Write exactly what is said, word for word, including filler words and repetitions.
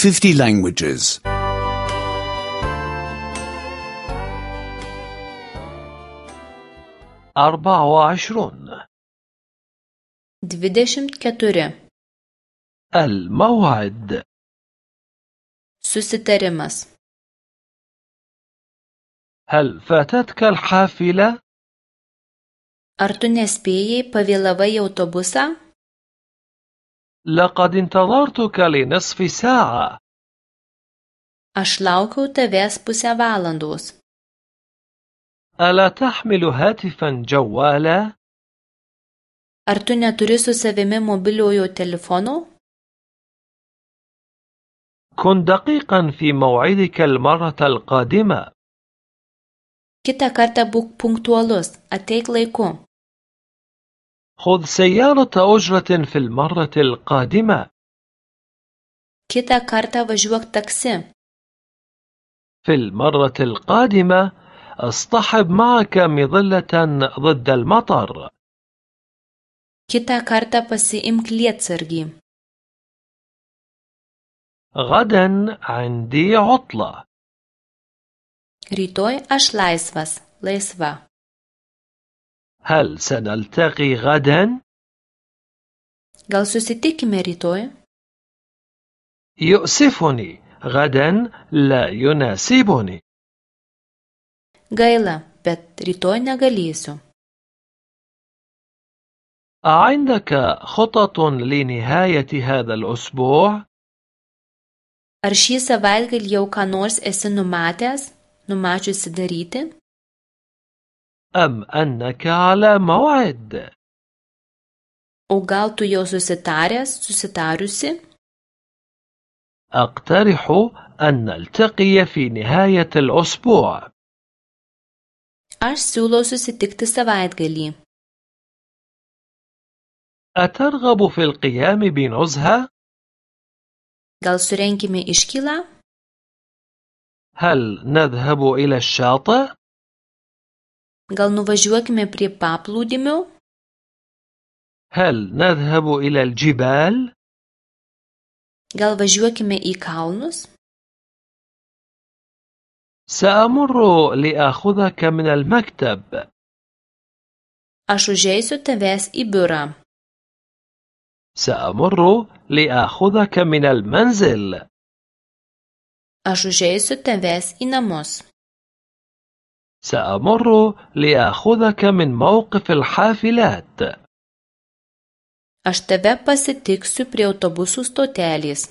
fifty languages. أربعة وعشرون. dvidešimt keturi. الموعد. Susitarimas. هل فاتتك الحافلة؟ Ar tu nespėjai, pavėlavai į autobusą? لقد انتظرتك لنصف ساعة. Aš laukiau tavęs pusę valandos. ألا تحمل هاتفا جوالا؟ Ar tu neturi su savimi mobiliojo telefono? كن دقيقا في موعدك المرة القادمة. Kitą kartą būk punktualus, ateik laiku. خذ سيارة أجرة في المرة القادمة. Kitą kartą važiuok taksi. في المرة القادمة اصطحب معك مظلة ضد المطر. Kitą kartą pasiimk lietsargį. غدا عندي عطلة. Rytoj aš laisvas, laisva. هل سنلتقي غدا؟ Gal susitikime rytoj? يؤسفني، غدا لا يناسبني. Gaila, bet rytoj negalėsiu. أعندك خطط لنهاية هذا الأسبوع؟ Ar šį savaitgalį jau ką nors esi numatęs, numačiusi daryti? أم أنك على موعد؟ O gal tu jau susitaręs, susitariusi? أقترح أن نلتقي في نهاية الأسبوع. Aš siūlau susitikti savaitgalį. أترغب في القيام بنزهة؟ Gal surenkime iškylą? هل نذهب إلى الشاطئ؟ Gal nuvažiuokime prie paplūdimio? هل نذهب إلى الجبال؟ Gal važiuokime į kalnus? سأمر لآخذك من المكتب. Aš užeisiu tavęs į biurą. سأمر لآخذك من المنزل. Aš užeisiu tavęs į namus. سأمر لآخذك من موقف الحافلات. Aš tave pasitiksiu prie autobusų stotelės.